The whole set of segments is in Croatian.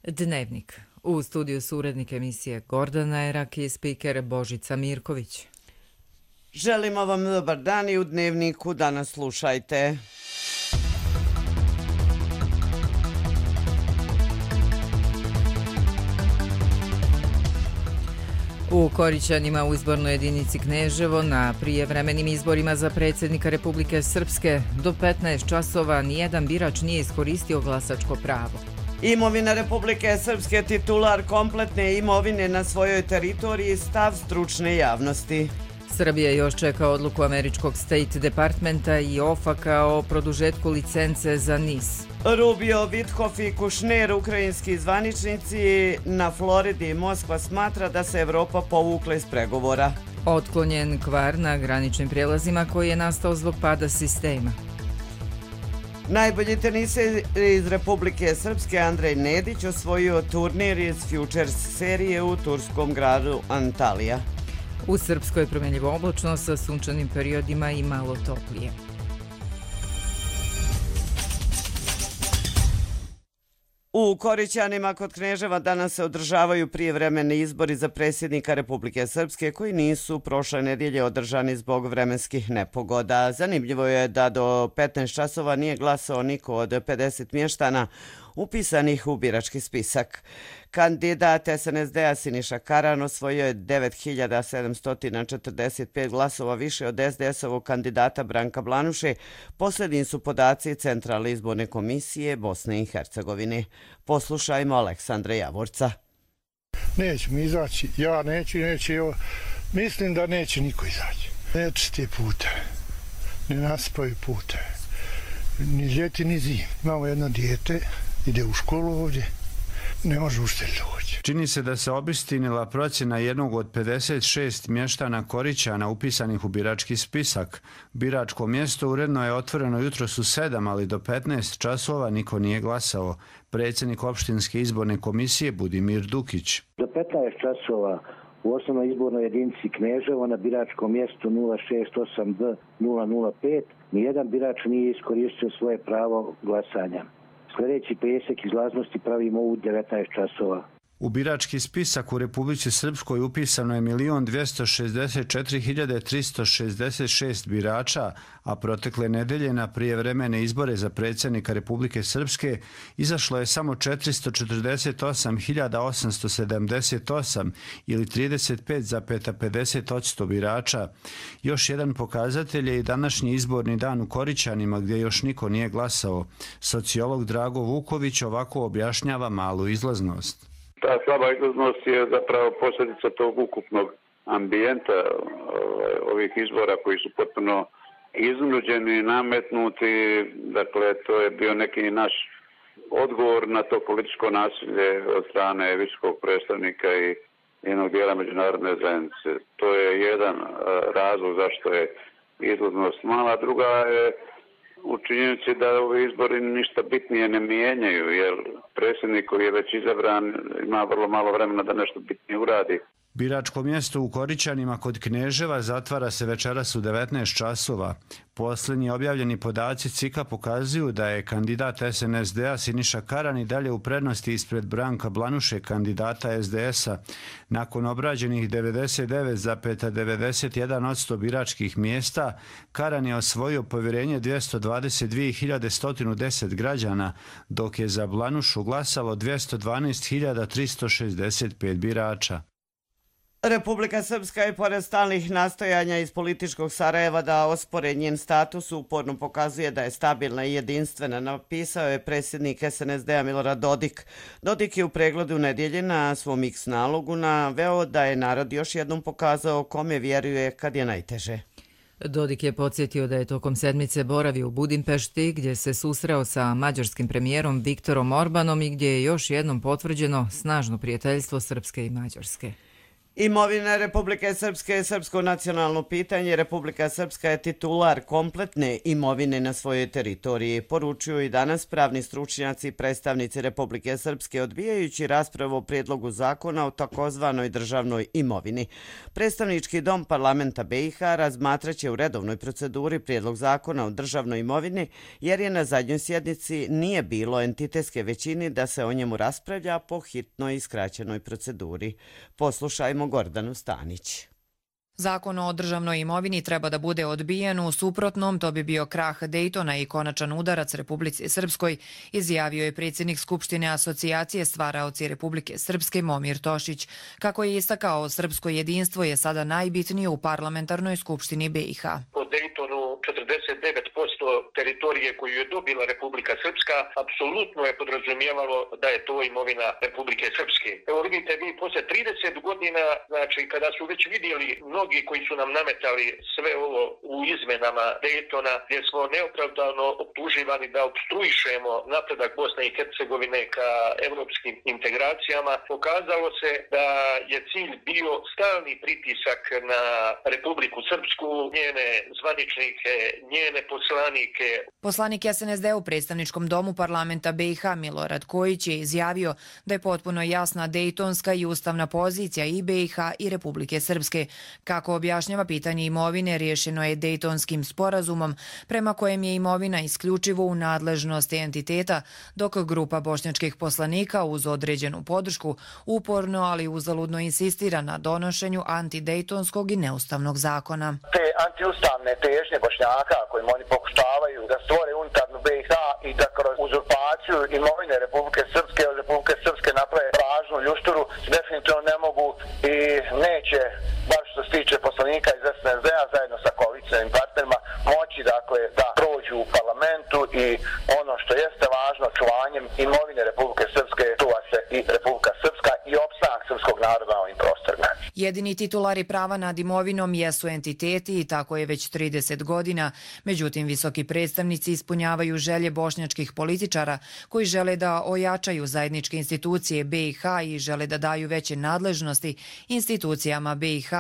Dnevnik. U studiju su urednik emisije Gordana Erak i spiker Božica Mirković. Želimo vam dobar dan i u Dnevniku danas slušajte. U Korićanima u izbornoj jedinici Kneževo na prijevremenim izborima za predsjednika Republike Srpske do 15 časova nijedan birač nije iskoristio glasačko pravo. Imovina Republike Srpske, titular kompletne imovine na svojoj teritoriji, stav stručne javnosti. Srbija još čeka odluku američkog State Departmenta i OFAC-a o produžetku licence za NIS. Rubio, Vitkof i Kušner, ukrajinski zvaničnici na Floridi, Moskva smatra da se Evropa povukla iz pregovora. Otklonjen kvar na graničnim prijelazima koji je nastao zbog pada sistema. Najbolji teniser iz Republike Srpske Andrej Nedić osvojio turnir iz Futures serije u turskom gradu Antalija. U Srpskoj je promjenjivo oblačno sa sunčanim periodima i malo toplije. U Korićanima kod Kneževa danas se održavaju prijevremeni izbori za predsjednika Republike Srpske koji nisu prošle nedjelje održani zbog vremenskih nepogoda. Zanimljivo je da do 15 časova nije glasao niko od 50 mještana upisanih u birački spisak. Kandidat SNSD-a Siniša Karan osvojio je 9745 glasova više od SDS-ovog kandidata Branka Blanuše. Posljednji su podaci Centralne izborne komisije Bosne i Hercegovine. Poslušajmo Aleksandra Javorca. Neće mi izaći, ja neću, mislim da neće niko izaći. Ne čiste puteve, ne naspaju puteve, ni ljeti ni zim. Imamo jedno dijete, ide u školu ovdje, ne može ušte doći. Čini se da se obistinila procjena jednog od 56 mještana Korićana upisanih u birački spisak. Biračko mjesto uredno je otvoreno jutros u 7, ali do 15 časova niko nije glasao. Predsjednik opštinske izborne komisije Budimir Dukić. Do 15 časova u osnovnoj izbornoj jedinici Kneževo na biračkom mjestu 068B005 nijedan birač nije iskoristio svoje pravo glasanja. Sljedeći presjek izlaznosti pravimo u 19 časova. U birački spisak u Republici Srpskoj upisano je 1.264.366 birača, a protekle nedelje na prijevremene izbore za predsjednika Republike Srpske izašlo je samo 448.878 ili 35,50% birača. Još jedan pokazatelj je i današnji izborni dan u Korićanima gdje još niko nije glasao. Sociolog Drago Vuković ovako objašnjava malu izlaznost. Ta slaba izlaznost je zapravo posljedica tog ukupnog ambijenta ovih izbora koji su potpuno iznuđeni, nametnuti. Dakle, to je bio neki naš odgovor na to političko nasilje od strane visokog predstavnika i jednog dijela međunarodne zajednice. To je jedan razlog zašto je izlaznost mala. Druga je u činjenici da ovi izbori ništa bitnije ne mijenjaju, jer predsjednik koji je već izabran ima vrlo malo vremena da nešto bitnije uradi. Biračko mjesto u Korićanima kod Kneževa zatvara se večeras u 19 časova. Posljednji objavljeni podaci CIK-a pokazuju da je kandidat SNSD-a Siniša Karan i dalje u prednosti ispred Branka Blanuše, kandidata SDS-a. Nakon obrađenih 99,91% biračkih mjesta, Karan je osvojio povjerenje 222.110 građana, dok je za Blanušu glasalo 212.365 birača. Republika Srpska je pored stalnih nastojanja iz političkog Sarajeva da ospore njen status uporno pokazuje da je stabilna i jedinstvena, napisao je predsjednik SNSD-a Milorad Dodik. Dodik je u pregledu nedjelje na svom X nalogu naveo da je narod još jednom pokazao kome vjeruje kad je najteže. Dodik je podsjetio da je tokom sedmice boravio u Budimpešti gdje se susreo sa mađarskim premijerom Viktorom Orbanom i gdje je još jednom potvrđeno snažno prijateljstvo Srpske i Mađarske. Imovina Republike Srpske je srpsko nacionalno pitanje. Republika Srpska je titular kompletne imovine na svojoj teritoriji, poručuju i danas pravni stručnjaci i predstavnici Republike Srpske odbijajući raspravu o prijedlogu zakona o takozvanoj državnoj imovini. Predstavnički dom parlamenta BiH razmatraće u redovnoj proceduri prijedlog zakona o državnoj imovini jer je na zadnjoj sjednici nije bilo entitetske većine da se o njemu raspravlja po hitnoj i skraćenoj proceduri. Poslušajmo Gordanu Stanić. Zakon o državnoj imovini treba da bude odbijen, u suprotnom to bi bio krah Dejtona i konačan udarac Republici Srpskoj, izjavio je predsjednik Skupštine Asocijacije stvaraoci Republike Srpske Momir Tošić. Kako je istakao, srpsko jedinstvo je sada najbitnije u parlamentarnoj skupštini BiH. Po Dejtonu 49% teritorije koju je dobila Republika Srpska apsolutno je podrazumijevalo da je to imovina Republike Srpske. Evo vidite, vi posle 30 godina, znači kada su već vidjeli mnogi koji su nam nametali sve ovo u izmenama Dejtona, gdje smo neopravdano optuživani da obstruišemo napredak Bosne i Hercegovine ka evropskim integracijama, pokazalo se da je cilj bio stalni pritisak na Republiku Srpsku, njene zvaničnike, njene poslanike. Poslanik SNSD u predstavničkom domu parlamenta BiH Milorad Kojić je izjavio da je potpuno jasna dejtonska i ustavna pozicija i BiH i Republike Srpske. Kako objašnjava pitanje imovine, riješeno je Dejtonskim sporazumom prema kojem je imovina isključivo u nadležnosti entiteta, dok grupa bošnjačkih poslanika uz određenu podršku uporno, ali uzaludno insistira na donošenju antidejtonskog i neustavnog zakona. Te antiustavne težnje Bošnjaka kojim oni pokušavaju da stvore unutarnju BiH i da kroz uzurpaciju imovine Republike Srpske od Republike Srpske naprave lažnu ljušturu, definitivno ne mogu i neće, bar što se tiče poslanika iz SNSD-a zajedno sa koalicijskim partnerima, moći dakle da prođu u parlamentu i ono što jeste važno, čuvanjem imovine Republike Srpske, čuva se i Republika Srpska i opstanak srpskog naroda na ovim prostorima. Jedini titulari prava nad imovinom jesu entiteti i tako je već 30 godina. Međutim, visoki predstavnici ispunjavaju želje bošnjačkih političara koji žele da ojačaju zajedničke institucije BiH i žele da daju veće nadležnosti institucijama BiH,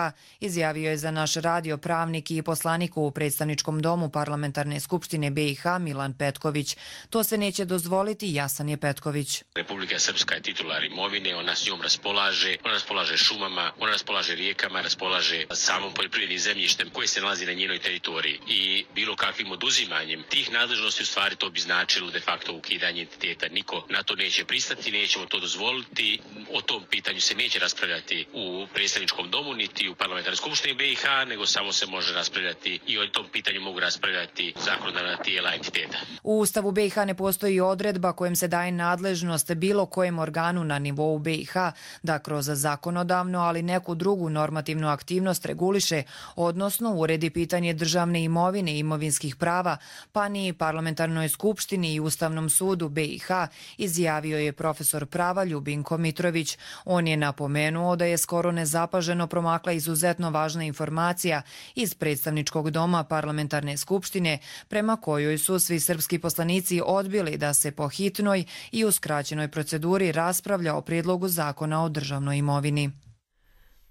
izjavio je za naš radio pravnik i poslanik u predstavničkom domu parlamentarne skupštine BiH Milan Petković. To se neće dozvoliti, jasan je Petković. Republika Srpska je titular imovine, ona s njom raspolaže šumama, ona raspolaže rijekama, raspolaže samom poljoprivrednim zemljištem koje se nalazi na njenoj teritoriji i bilo kakvim oduzimanjem tih nadležnosti u stvari to bi značilo de facto ukidanje entiteta. Niko na to neće pristati, nećemo to dozvoliti. O tom pitanju se neće raspravljati u predstavničkom domu niti u parlamentarnoj skupštini BiH, nego samo se može raspravljati i o tom pitanju mogu raspravljati zakonodavna tijela entiteta. U Ustavu BiH ne postoji odredba kojom se daje nadležnost bilo kojem organu na nivou BiH da kroz zakonodavno, ali neku drugu normativnu aktivnost reguliše, odnosno uredi pitanje državne imovine i imovinskih prava, pa ni parlamentarnoj skupštini i Ustavnom sudu BiH, izjavio je profesor prava Ljubinko Mitrović. On je napomenuo da je skoro nezapaženo promakla izuzetno važna informacija iz predstavničkog doma parlamentarne skupštine, prema kojoj su svi srpski poslanici odbili da se po hitnoj i u skraćenoj proceduri raspravlja o prijedlogu zakona o državnoj imovini.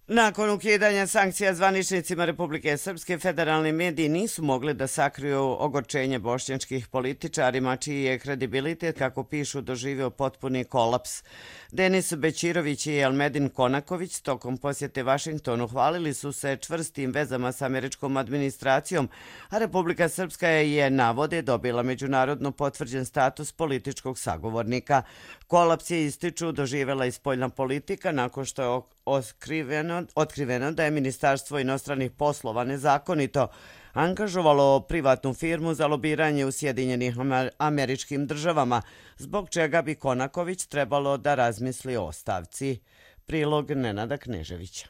Nakon ukidanja sankcija zvaničnicima Republike Srpske, federalni mediji nisu mogli da sakriju ogorčenje bošnjačkih političarima, čiji je kredibilitet, kako pišu, doživio potpuni kolaps. Denis Bećirović i Elmedin Konaković tokom posjete Vašingtonu hvalili su se čvrstim vezama s američkom administracijom, a Republika Srpska je, navode, dobila međunarodno potvrđen status političkog sagovornika. Kolaps je, ističu, doživjela i spoljna politika nakon što je otkriveno da je Ministarstvo inostranih poslova nezakonito angažovalo privatnu firmu za lobiranje u Sjedinjenih Američkim Državama, zbog čega bi Konaković trebalo da razmisli o ostavci. Prilog Nenada Kneževića.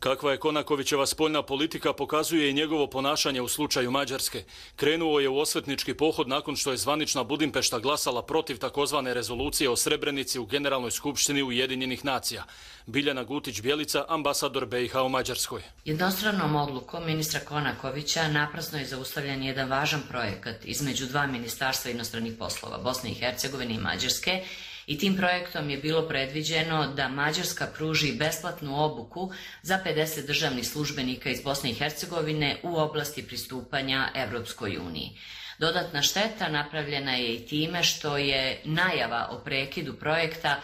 Kakva je Konakovićeva spoljna politika pokazuje i njegovo ponašanje u slučaju Mađarske. Krenuo je u osvetnički pohod nakon što je zvanična Budimpešta glasala protiv takozvane rezolucije o Srebrenici u Generalnoj skupštini Ujedinjenih nacija. Biljana Gutić-Bjelica, ambasador BiH u Mađarskoj. Jednostranom odlukom ministra Konakovića naprasno je zaustavljen jedan važan projekat između dva ministarstva inostranih poslova, Bosne i Hercegovine i Mađarske, I tim projektom je bilo predviđeno da Mađarska pruži besplatnu obuku za 50 državnih službenika iz Bosne i Hercegovine u oblasti pristupanja Evropskoj uniji. Dodatna šteta napravljena je i time što je najava o prekidu projekta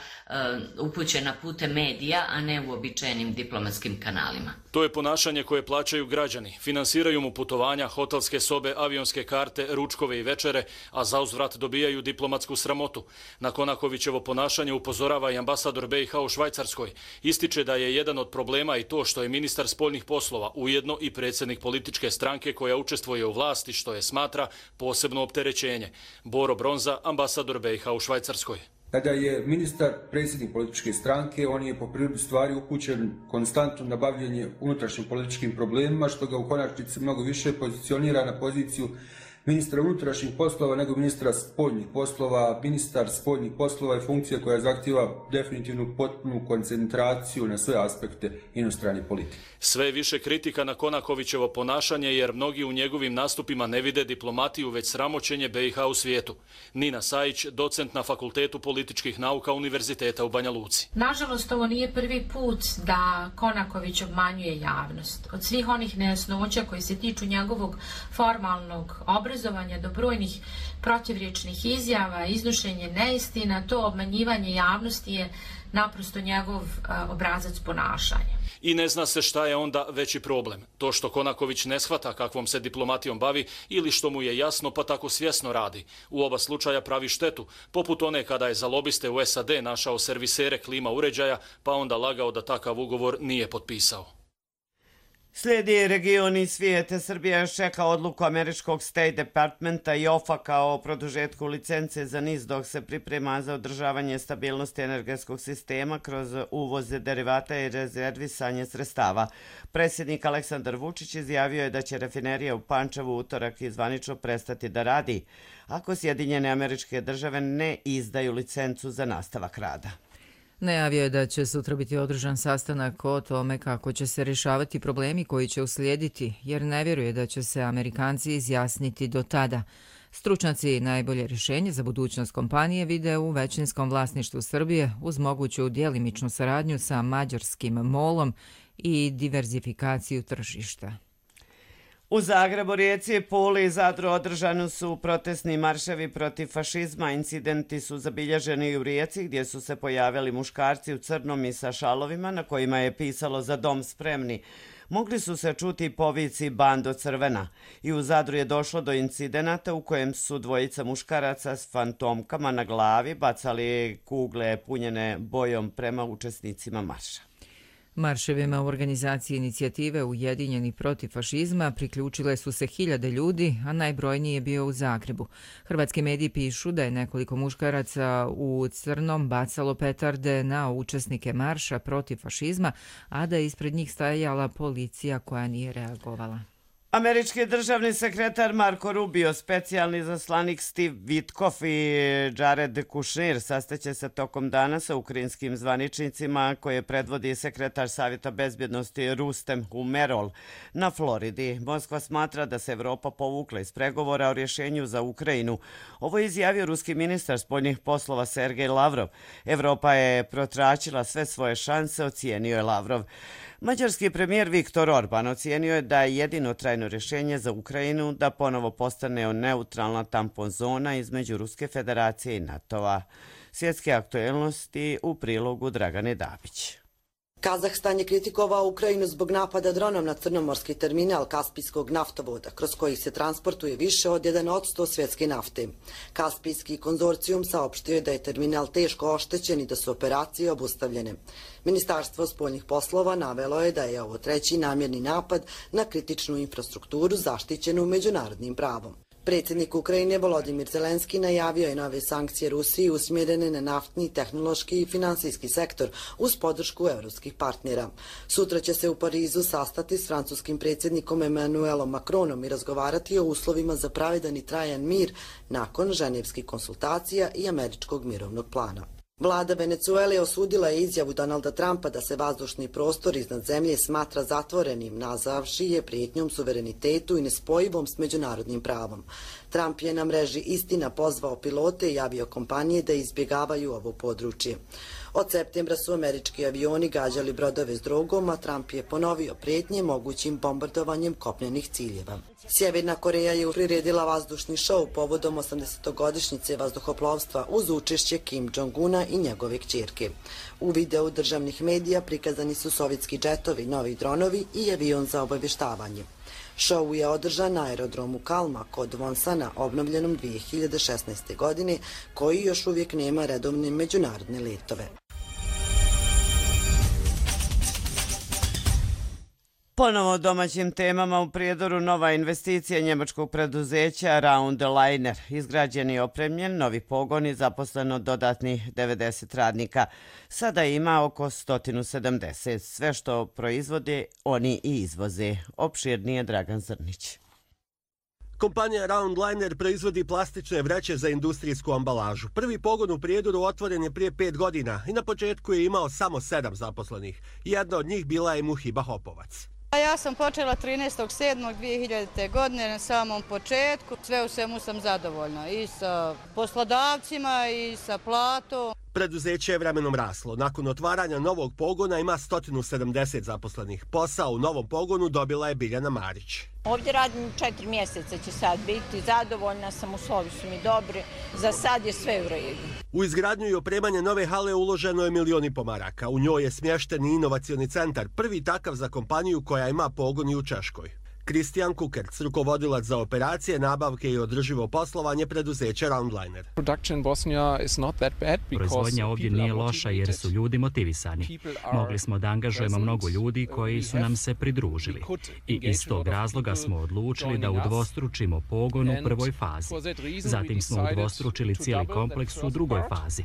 upućena putem medija, a ne uobičajenim diplomatskim kanalima. To je ponašanje koje plaćaju građani. Finansiraju mu putovanja, hotelske sobe, avionske karte, ručkove i večere, a zauzvrat dobijaju diplomatsku sramotu. Na Konakovićevo ponašanje upozorava i ambasador BiH u Švajcarskoj. Ističe da je jedan od problema i to što je ministar spoljnih poslova ujedno i predsjednik političke stranke koja učestvuje u vlasti, što je smatra posebno opterećenje. Boro Bronza, ambasador BiH u Švajcarskoj. Kada je ministar predsjednik političke stranke, on je po prirodi stvari upućen konstantno na bavljenje unutrašnjim političkim problemima, što ga u konačnici mnogo više pozicionira na poziciju ministra unutrašnjih poslova nego ministra spoljnih poslova. Ministar spoljnih poslova je funkcija koja zahtjeva definitivnu potpunu koncentraciju na sve aspekte inostrane politike. Sve više kritika na Konakovićevo ponašanje jer mnogi u njegovim nastupima ne vide diplomatiju već sramoćenje BiH u svijetu. Nina Sajić, docent na Fakultetu političkih nauka Univerziteta u Banja Luci. Nažalost, ovo nije prvi put da Konaković obmanjuje javnost. Od svih onih nejasnoća koji se tiču njegovog formalnog obrazovanja do brojnih protivriječnih izjava, iznošenje neistina, to obmanjivanje javnosti je naprosto njegov obrazac ponašanja. I ne zna se šta je onda veći problem. To što Konaković ne shvata kakvom se diplomatijom bavi ili što mu je jasno pa tako svjesno radi. U oba slučaja pravi štetu, poput one kada je za lobiste u SAD našao servisere klima uređaja pa onda lagao da takav ugovor nije potpisao. Slijedi region i svijete. Srbija još čeka odluku američkog State Departmenta i OFAC-a o produžetku licence za NIS dok se priprema za održavanje stabilnosti energetskog sistema kroz uvoze derivata i rezervisanje sredstava. Predsjednik Aleksandar Vučić izjavio je da će rafinerija u Pančevu utorak i zvanično prestati da radi ako Sjedinjene Američke Države ne izdaju licencu za nastavak rada. Najavio je da će sutra biti održan sastanak o tome kako će se rješavati problemi koji će uslijediti, jer ne vjeruje da će se Amerikanci izjasniti do tada. Stručnjaci najbolje rješenje za budućnost kompanije vide u većinskom vlasništvu Srbije uz moguću djelimičnu saradnju sa mađarskim MOL-om i diverzifikaciju tržišta. U Zagrebu, Rijeci, Puli i Zadru održani su protestni marševi protiv fašizma. Incidenti su zabilježeni i u Rijeci gdje su se pojavili muškarci u crnom i sa šalovima na kojima je pisalo "Za dom spremni". Mogli su se čuti povici "Bando crvena". I u Zadru je došlo do incidenata u kojem su dvojica muškaraca s fantomkama na glavi bacali kugle punjene bojom prema učesnicima marša. Marševima u organizaciji inicijative Ujedinjeni protiv fašizma priključile su se hiljade ljudi, a najbrojniji je bio u Zagrebu. Hrvatski mediji pišu da je nekoliko muškaraca u crnom bacalo petarde na učesnike marša protiv fašizma, a da je ispred njih stajala policija koja nije reagovala. Američki državni sekretar Marko Rubio, specijalni zaslanik Steve Witkoff i Jared Kushner sastaće se tokom dana sa ukrajinskim zvaničnicima koje predvodi sekretar Savjeta bezbjednosti Rustem Umerov na Floridi. Moskva smatra da se Evropa povukla iz pregovora o rješenju za Ukrajinu. Ovo je izjavio ruski ministar spoljnih poslova Sergej Lavrov. Evropa je protračila sve svoje šanse, ocijenio je Lavrov. Mađarski premijer Viktor Orban ocijenio je da je jedino trajno rješenje za Ukrajinu da ponovo postane neutralna tampon zona između Ruske federacije i NATO-a. Svjetske aktuelnosti u prilogu Dragane Dabić. Kazahstan je kritikovao Ukrajinu zbog napada dronom na crnomorski terminal Kaspijskog naftovoda, kroz koji se transportuje više od 1% svjetske nafte. Kaspijski konzorcijum saopštio je da je terminal teško oštećen i da su operacije obustavljene. Ministarstvo spoljnih poslova navelo je da je ovo treći namjerni napad na kritičnu infrastrukturu zaštićenu međunarodnim pravom. Predsjednik Ukrajine Volodimir Zelenski najavio je nove sankcije Rusiji usmjerene na naftni, tehnološki i finansijski sektor uz podršku evropskih partnera. Sutra će se u Parizu sastati s francuskim predsjednikom Emmanuelom Macronom i razgovarati o uslovima za pravedan i trajan mir nakon ženevskih konsultacija i američkog mirovnog plana. Vlada Venecuele osudila je izjavu Donalda Trumpa da se vazdušni prostor iznad zemlje smatra zatvorenim, nazvavši je prijetnjom suverenitetu i nespojivom s međunarodnim pravom. Trump je na mreži Istina pozvao pilote i aviokompanije da izbjegavaju ovo područje. Od septembra su američki avioni gađali brodove s drogom, a Trump je ponovio prijetnje mogućim bombardovanjem kopnenih ciljeva. Sjeverna Koreja je priredila vazdušni šou povodom 80-godišnjice vazduhoplovstva uz učešće Kim Jong-una i njegove kćerke. U videu državnih medija prikazani su sovjetski džetovi, novi dronovi i avion za obavještavanje. Šou je održan na aerodromu Kalma kod Vonsana, obnovljenom 2016. godine, koji još uvijek nema redovne međunarodne letove. Ponovo o domaćim temama u Prijedoru nova investicija njemačkog preduzeća Round Liner. Izgrađen i opremljen novi pogon i zaposleno dodatnih 90 radnika. Sada ima oko 170. Sve što proizvode, oni i izvoze. Opširnije Dragan Zrnić. Kompanija Round Liner proizvodi plastične vreće za industrijsku ambalažu. Prvi pogon u Prijedoru otvoren je prije 5 godina i na početku je imao samo 7 zaposlenih. Jedna od njih bila je Muhiba Hopovac. Ja sam počela 13.7.2000. godine na samom početku. Sve u svemu sam zadovoljna i sa poslodavcima i sa platom. Preduzeće je vremenom raslo. Nakon otvaranja novog pogona ima 170 zaposlenih. Posao u novom pogonu dobila je Biljana Marić. Ovdje radim 4 mjeseca, će sad biti. Zadovoljna sam, uslovi su mi dobri. Za sad je sve u redu. U izgradnju i opremanje nove hale uloženo je $1,5 maraka. U njoj je smješten i inovacioni centar, prvi takav za kompaniju koja ima pogon i u Češkoj. Kristijan Kukerc, rukovodilac za operacije, nabavke i održivo poslovanje preduzeća Round Liner. Proizvodnja ovdje nije loša jer su ljudi motivisani. Mogli smo da angažujemo mnogo ljudi koji su nam se pridružili. I iz tog razloga smo odlučili da udvostručimo pogon u prvoj fazi. Zatim smo udvostručili cijeli kompleks u drugoj fazi.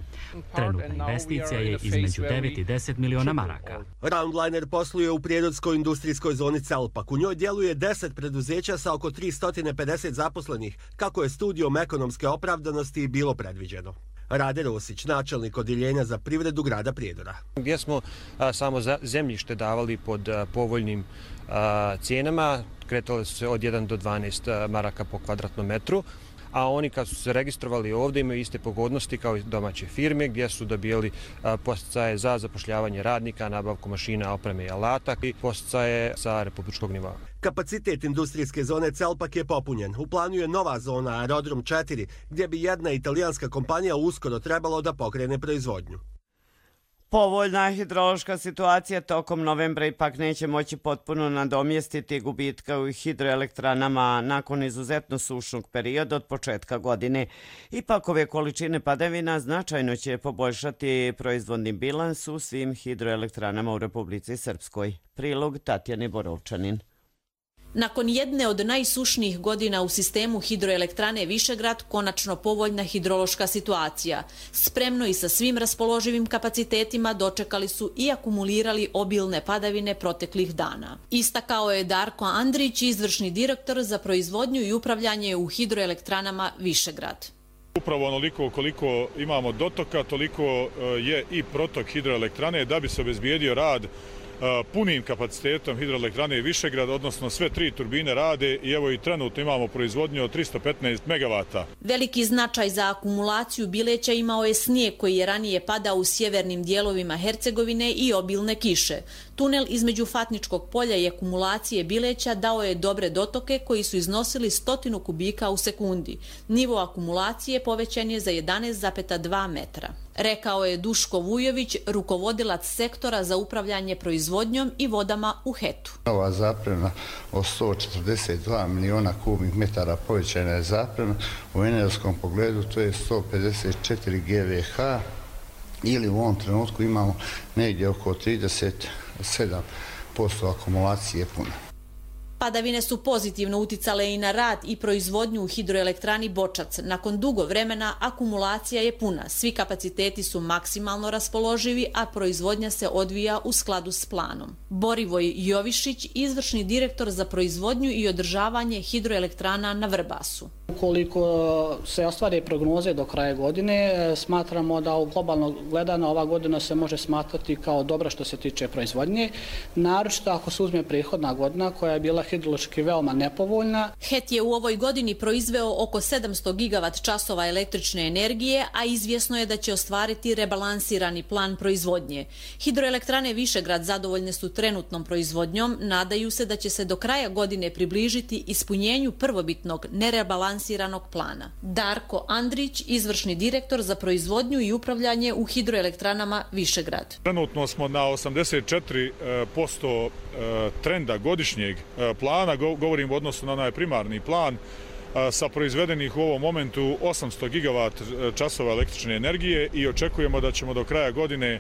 Trenutna investicija je između 9 i 10 miliona maraka. Round Liner posluje u prijedorskoj industrijskoj zoni Celpak. U njoj djeluje 10 preduzeća sa oko 350 zaposlenih, kako je studijom ekonomske opravdanosti bilo predviđeno. Rade Rosić, načelnik odjeljenja za privredu grada Prijedora. Gdje smo samo zemljište davali pod povoljnim cijenama, kretale su se od 1 do 12 maraka po kvadratnom metru, a oni kad su se registrovali ovdje imaju iste pogodnosti kao i domaće firme gdje su dobijali podsticaje za zapošljavanje radnika, nabavku mašina, opreme i alata i podsticaje sa republičkog nivoa. Kapacitet industrijske zone Celpak je popunjen. U planu je nova zona Aerodrom 4 gdje bi jedna italijanska kompanija uskoro trebalo da pokrene proizvodnju. Povoljna hidrološka situacija tokom novembra ipak neće moći potpuno nadomjestiti gubitka u hidroelektranama nakon izuzetno sušnog perioda od početka godine. Ipak ove količine padavina značajno će poboljšati proizvodni bilans u svim hidroelektranama u Republici Srpskoj. Prilog Tatjane Borovčanin. Nakon jedne od najsušnijih godina u sistemu hidroelektrane Višegrad, konačno povoljna hidrološka situacija. Spremno i sa svim raspoloživim kapacitetima dočekali su i akumulirali obilne padavine proteklih dana. Istakao je Darko Andrić, izvršni direktor za proizvodnju i upravljanje u hidroelektranama Višegrad. Upravo onoliko koliko imamo dotoka, toliko je i protok hidroelektrane da bi se obezbijedio rad punim kapacitetom hidroelektrane Višegrad, odnosno sve 3 turbine rade i evo i trenutno imamo proizvodnju od 315 megavata. Veliki značaj za akumulaciju bileća imao je snijeg koji je ranije padao u sjevernim dijelovima Hercegovine i obilne kiše. Tunel između Fatničkog polja i akumulacije bileća dao je dobre dotoke koji su iznosili 100 kubika u sekundi. Nivo akumulacije povećan je za 11,2 metra. Rekao je Duško Vujović, rukovodilac sektora za upravljanje proizvodnjom i vodama u HET-u. Ova zapremna od 142 miliona kubnih metara povećana je zapremna. U energetskom pogledu to je 154 GVH ili u ovom trenutku imamo negdje oko 37% akumulacije puna. Padavine su pozitivno uticale i na rad i proizvodnju u hidroelektrani Bočac. Nakon dugo vremena akumulacija je puna. Svi kapaciteti su maksimalno raspoloživi, a proizvodnja se odvija u skladu s planom. Borivoj Jovišić, izvršni direktor za proizvodnju i održavanje hidroelektrana na Vrbasu. Ukoliko se ostvare prognoze do kraja godine, smatramo da u globalno gledano ova godina se može smatrati kao dobra što se tiče proizvodnje, naročito ako se uzme prethodna godina koja je bila hidrološki veoma nepovoljna. HET je u ovoj godini proizveo oko 700 gigavat časova električne energije, a izvjesno je da će ostvariti rebalansirani plan proizvodnje. Hidroelektrane Višegrad zadovoljne su trenutnom proizvodnjom, nadaju se da će se do kraja godine približiti ispunjenju prvobitnog nerebalansiranog plana. Darko Andrić, izvršni direktor za proizvodnju i upravljanje u hidroelektranama Višegrad. Trenutno smo na 84% trenda godišnjeg plana, govorim u odnosu na onaj primarni plan, sa proizvedenih u ovom momentu 800 gigavat časova električne energije i očekujemo da ćemo do kraja godine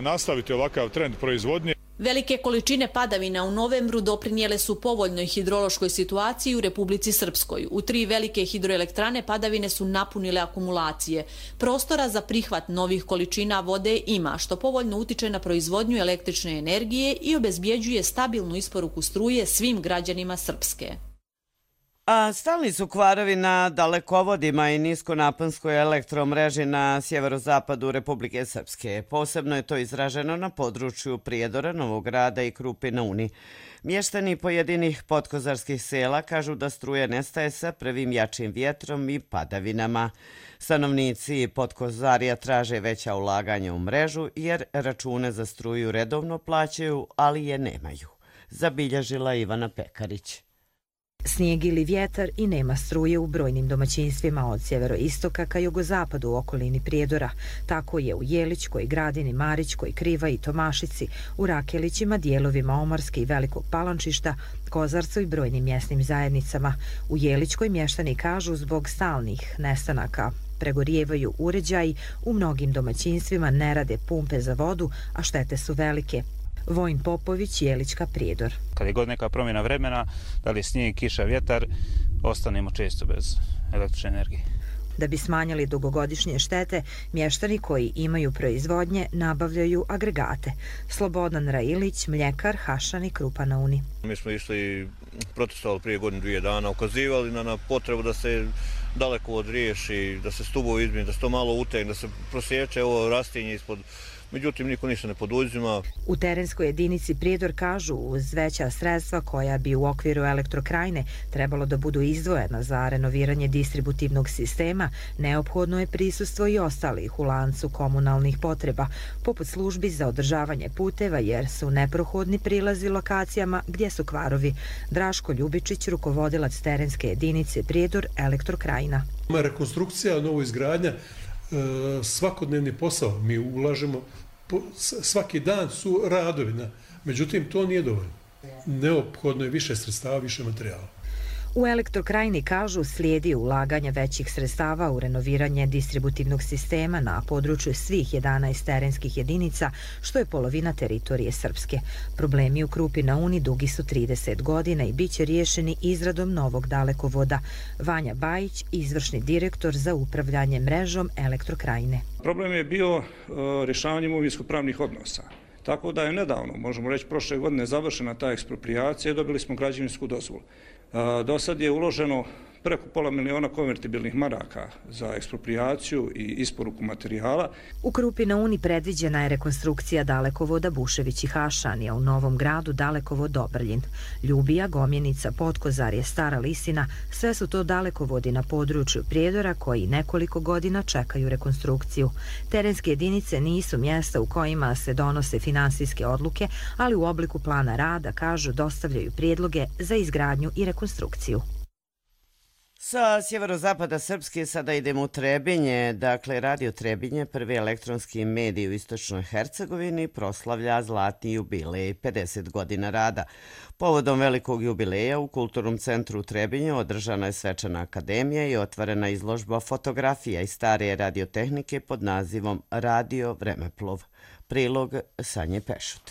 nastaviti ovakav trend proizvodnje. Velike količine padavina u novembru doprinijele su povoljnoj hidrološkoj situaciji u Republici Srpskoj. U 3 velike hidroelektrane padavine su napunile akumulacije. Prostora za prihvat novih količina vode ima, što povoljno utiče na proizvodnju električne energije i obezbjeđuje stabilnu isporuku struje svim građanima Srpske. A stalni su kvarovi na dalekovodima i niskonaponskoj elektromreži na sjeverozapadu Republike Srpske. Posebno je to izraženo na području Prijedora, Novog Grada i Krupi na Uni. Mještani pojedinih podkozarskih sela kažu da struje nestaje sa prvim jačim vjetrom i padavinama. Stanovnici Podkozarija traže veća ulaganja u mrežu jer račune za struju redovno plaćaju, ali je nemaju. Zabilježila Ivana Pekarić. Snijeg ili vjetar i nema struje u brojnim domaćinstvima od sjeveroistoka ka jugozapadu u okolini Prijedora. Tako je u Jelićkoj, Gradini, Marićkoj, Kriva i Tomašici, u Rakelićima, dijelovima Omarske i Velikog Palančišta, Kozarcu i brojnim mjesnim zajednicama. U Jelićkoj mještani kažu zbog stalnih nestanaka pregorijevaju uređaji, u mnogim domaćinstvima ne rade pumpe za vodu, a štete su velike. Vojin Popović, Jelićka, Prijedor. Kad je god neka promjena vremena, da li snijeg, kiša, vjetar, ostanemo često bez električne energije. Da bi smanjili dugogodišnje štete, mještani koji imaju proizvodnje nabavljaju agregate. Slobodan Railić, mljekar, Hašan i Krupa na Uni. Mi smo išli protestovali prije godinu, 2 dana, ukazivali na potrebu da se dalekovod riješi, da se stubovi izmijeni, da se to malo utegne, da se prosječe ovo rastinje ispod. Međutim, niko ništa ne poduzima. U terenskoj jedinici Prijedor kažu uz veća sredstva koja bi u okviru Elektrokrajne trebalo da budu izdvojena za renoviranje distributivnog sistema, neophodno je prisustvo i ostalih u lancu komunalnih potreba, poput službi za održavanje puteva jer su neprohodni prilazi lokacijama gdje su kvarovi. Draško Ljubičić, rukovodilac terenske jedinice Prijedor, Elektrokrajna. Rekonstrukcija, novo izgradnja, svakodnevni posao. Mi ulažemo, svaki dan su radovi, međutim to nije dovoljno. Neophodno je više sredstava, više materijala. U Elektrokrajni kažu slijedi ulaganja većih sredstava u renoviranje distributivnog sistema na području svih 11 terenskih jedinica, što je polovina teritorije Srpske. Problemi u Krupi na Uni dugi su 30 godina i bit će riješeni izradom novog dalekovoda. Vanja Bajić, izvršni direktor za upravljanje mrežom Elektrokrajne. Problem je bio rješavanje imovinsko-pravnih odnosa. Tako da je nedavno, možemo reći prošle godine, završena ta eksproprijacija i dobili smo građevinsku dozvolu. Do sad je uloženo preko $500.000 konvertibilnih maraka za eksproprijaciju i isporuku materijala. U Krupi na Uni predviđena je rekonstrukcija dalekovoda Bušević i Hašanija, u Novom Gradu dalekovod Dobrljin. Ljubija, Gomjenica, Podkozarje, Stara Lisina, sve su to dalekovodi na području Prijedora koji nekoliko godina čekaju rekonstrukciju. Terenske jedinice nisu mjesta u kojima se donose finansijske odluke, ali u obliku plana rada, kažu, dostavljaju prijedloge za izgradnju i rekonstrukciju. Sa sjeverozapada Srpske sada idemo u Trebinje. Dakle, Radio Trebinje, prvi elektronski medij u istočnoj Hercegovini, proslavlja zlatni jubilej, 50 godina rada. Povodom velikog jubileja u Kulturnom centru u Trebinju održana je svečana akademija i otvorena izložba fotografija iz stare radiotehnike pod nazivom Radio Vremeplov. Prilog Sanje Pešut.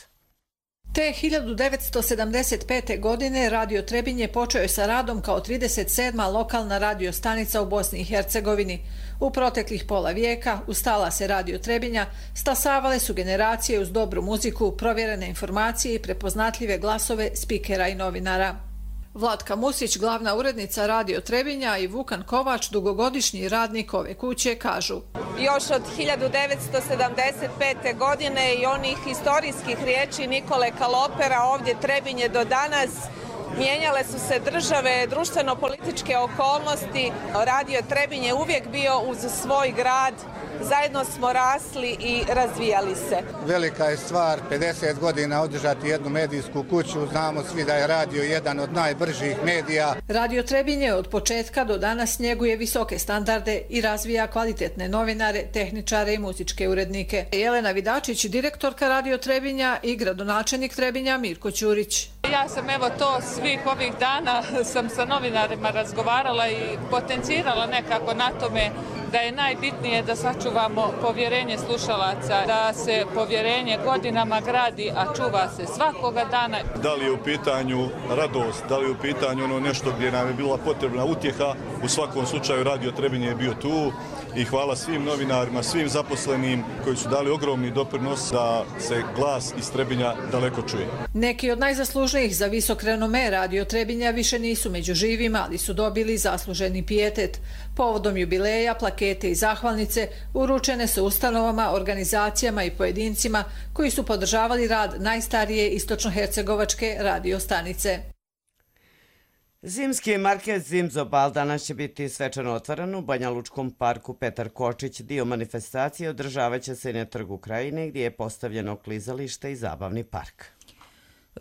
Te 1975. godine Radio Trebinje počeo je sa radom kao 37. lokalna radio stanica u Bosni i Hercegovini. U proteklih pola vijeka ustala se Radio Trebinja, stasavale su generacije uz dobru muziku, provjerene informacije i prepoznatljive glasove spikera i novinara. Vlatka Musić, glavna urednica Radio Trebinja, i Vukan Kovač, dugogodišnji radnik ove kuće, kažu: Još od 1975. godine i onih historijskih riječi Nikole Kalopera ovdje Trebinje do danas, mijenjale su se države, društveno-političke okolnosti. Radio Trebinje uvijek bio uz svoj grad, zajedno smo rasli i razvijali se. Velika je stvar 50 godina održati jednu medijsku kuću. Znamo svi da je radio jedan od najbržih medija. Radio Trebinje od početka do danas njeguje visoke standarde i razvija kvalitetne novinare, tehničare i muzičke urednike. Jelena Vidačić, direktorka Radio Trebinja, i gradonačelnik Trebinja Mirko Ćurić. Ja sam to svih ovih dana sam sa novinarima razgovarala i potencirala nekako na tome da je najbitnije da sačuvamo povjerenje slušalaca, da se povjerenje godinama gradi, a čuva se svakoga dana. Da li je u pitanju radost, da li je u pitanju ono nešto gdje nam je bila potrebna utjeha, u svakom slučaju Radio Trebinje je bio tu i hvala svim novinarima, svim zaposlenim koji su dali ogromni doprinos da se glas iz Trebinja daleko čuje. Neki od najzaslužnijih za visok renome Radio Trebinja više nisu među živima, ali su dobili zasluženi pijetet. Povodom jubileja, plakete i zahvalnice uručene su ustanovama, organizacijama i pojedincima koji su podržavali rad najstarije istočnohercegovačke radio stanice. Zimski market Zimzobal danas će biti svečano otvoren u Banja Lučkom parku Petar Kočić. Dio manifestacije održavat će se na Trgu Krajine, gdje je postavljeno klizalište i zabavni park.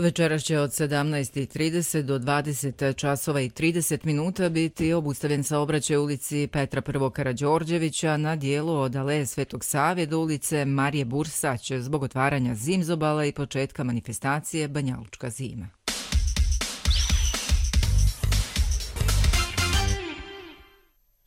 Večeras će od 17:30 do 20 časova i 30 minuta biti obustavljen saobraćaj ulici Petra I. Karađorđevića na dijelu od Aleje Svetog Save do ulice Marije Bursać zbog otvaranja Zimzobala i početka manifestacije Banja Lučka zima.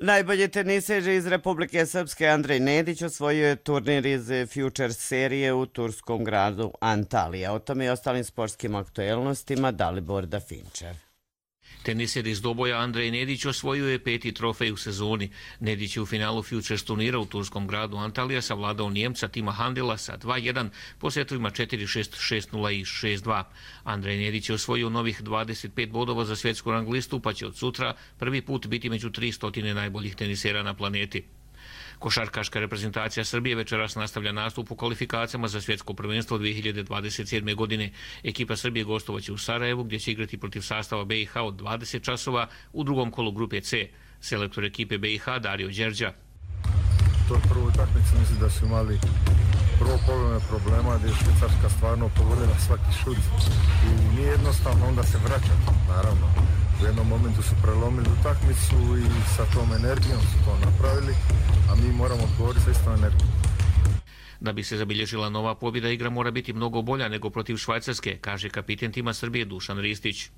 Najbolji teniser iz Republike Srpske Andrej Nedić osvojio je turnir iz Future serije u turskom gradu Antalija. O tome i ostalim sportskim aktuelnostima Dalibor Dafinčev. Teniser iz Doboja Andrej Nedić osvojio je 5. trofej u sezoni. Nedić je u finalu Futures turnira u turskom gradu Antalija savladao Njemca Tima Handela sa 2-1 po setovima 4-6, 6-0 i 6-2. Andrej Nedić je osvojio novih 25 bodova za svjetsku rang listu, pa će od sutra prvi put biti među 300 najboljih tenisera na planeti. Košarkaška reprezentacija Srbije večeras nastavlja nastup u kvalifikacijama za svjetsko prvenstvo 2027. godine. Ekipa Srbije gostovaće u Sarajevu, gdje će igrati protiv sastava BiH od 20 časova u drugom kolu grupe C. Selektor ekipe BiH Dario Đerđa. To je prvo utakmica, mislim da su imali prvo polovine problema gdje je Švicarska stvarno pogodila svaki šut i nije jednostavno onda se vraćati, naravno. U jednom momentu su prelomili utakmicu i sa tom energijom su to napravili, a mi moramo odgovoriti sa istom energijom. Da bi se zabilježila nova pobjeda, igra mora biti mnogo bolja nego protiv Švajcarske, kaže kapiten tima Srbije Dušan Ristić.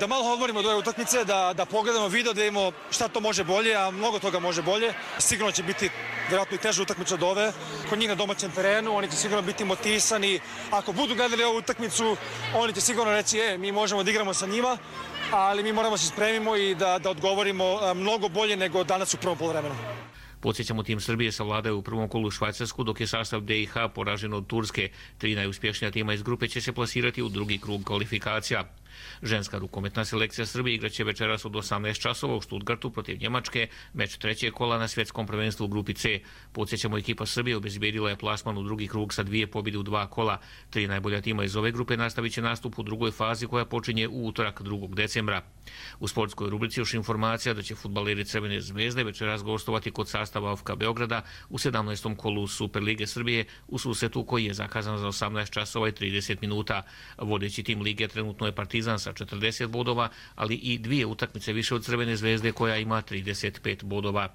Da malo odmorimo od ove utakmice, da pogledamo video, da vidimo šta to može bolje, a mnogo toga može bolje. Sigurno će biti vjerojatno i teža utakmica od ove. Kod njih na domaćem terenu, oni će sigurno biti motivisani. Ako budu gledali ovu utakmicu, oni će sigurno reći, mi možemo da igramo sa njima, ali mi moramo se spremimo i da odgovorimo mnogo bolje nego danas u prvom poluvremenu. Podsjećamo, tim Srbije savladaju u prvom kolu Švajcarsku, dok je sastav BiH poražen od Turske. 3 najuspješnija tima iz grupe će se plasirati u drugi krug kvalifikacija. Ženska rukometna selekcija Srbije igraće večeras od 18 časova u Stuttgartu protiv Njemačke, meč trećeg kola na svjetskom prvenstvu u grupi C. Podsjećamo, ekipa Srbije obezbijedila je plasman u drugi krug sa 2 pobjede u 2 kola. 3 najbolja tima iz ove grupe nastavit će nastup u drugoj fazi koja počinje u utorak 2. decembra. U sportskoj rubrici još informacija da će fudbaleri Crvene zvezde večeras gostovati kod sastava AFK Beograda u 17. kolu Superlige Srbije u susretu koji je zakazan za 18 časova i 30 minuta. Vodeći tim lige trenutno je Partizan sa 40 bodova, ali i 2 utakmice više od Crvene zvezde koja ima 35 bodova.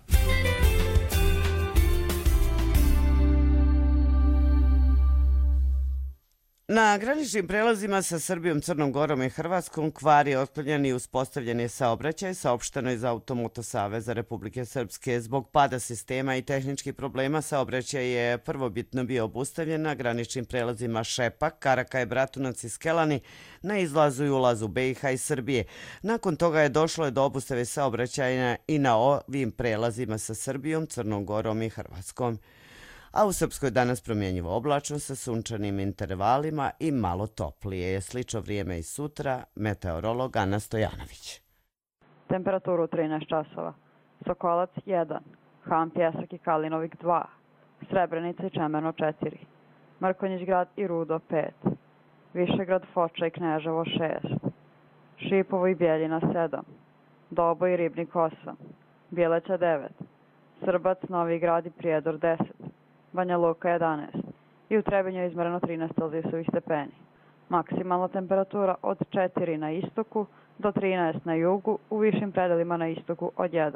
Na graničnim prelazima sa Srbijom, Crnom Gorom i Hrvatskom kvar je otklonjen i uspostavljen je saobraćaj, saopšteno iz Automoto Saveza Republike Srpske. Zbog pada sistema i tehničkih problema saobraćaj je prvobitno bio obustavljen na graničnim prelazima Šepak, Karakaj, Bratunac i Skelani na izlazu i ulazu BiH i Srbije. Nakon toga je došlo do obustave saobraćaja i na ovim prelazima sa Srbijom, Crnom Gorom i Hrvatskom. A u Srpskoj danas promjenjivo oblačno sa sunčanim intervalima i malo toplije. Slično vrijeme i sutra, meteorolog Ana Stojanović. Temperaturu 13 časova. Sokolac 1, Han Pjesak i Kalinovik 2, Srebrenica i Čemerno 4, Mrkonjić grad i Rudo 5, Višegrad, Foča i Kneževo 6, Šipovo i Bjeljina 7, Dobo i Ribnik 8, Bjeleća 9, Srbac, Novi Grad i Prijedor 10, Banja Luka 11 i u Trebinju je izmereno 13 celzijusovih stepeni. Maksimalna temperatura od 4 na istoku do 13 na jugu, u višim predelima na istoku od 1.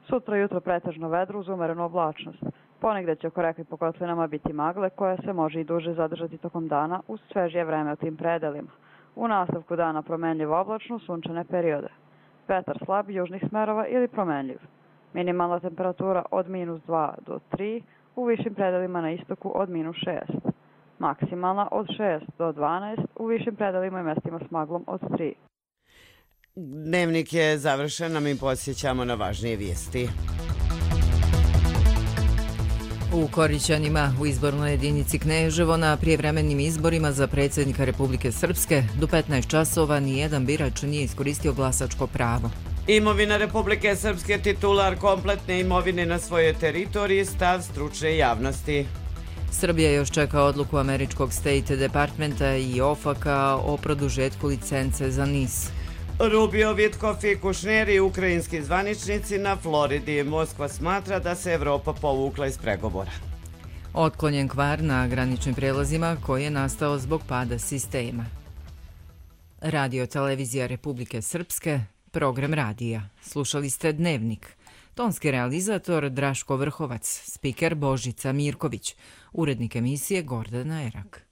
Sutra jutro pretežno vedro uz umerenu oblačnost. Ponegde će oko reka i po kotlinama biti magle koja se može i duže zadržati tokom dana uz svežije vreme u tim predelima. U nastavku dana promenljivo oblačno, sunčane periode. Vetar slab južnih smerova ili promenljiv. Minimalna temperatura od -2 do 3, u višim predelima na istoku od -6. Maksimalna od 6 do 12, u višim predelima i mestima s maglom od 3. Dnevnik je završen, a mi podsjećamo na važnije vijesti. U Korićanima, u izbornoj jedinici Kneževo, na prijevremenim izborima za predsjednika Republike Srpske, do 15 časova nijedan birač nije iskoristio glasačko pravo. Imovina Republike Srpske, titular kompletne imovine na svojoj teritoriji, stav stručne javnosti. Srbija još čeka odluku američkog State Departmenta i OFAC-a o produžetku licence za NIS. Rubio, Vitkov i Kušner i ukrajinski zvaničnici na Floridi. Moskva smatra da se Evropa povukla iz pregovora. Otklonjen kvar na graničnim prelazima koji je nastao zbog pada sistema. Radio Televizija Republike Srpske, program radija. Slušali ste Dnevnik. Tonski realizator Draško Vrhovac, spiker Božica Mirković, urednik emisije Gordana Erak.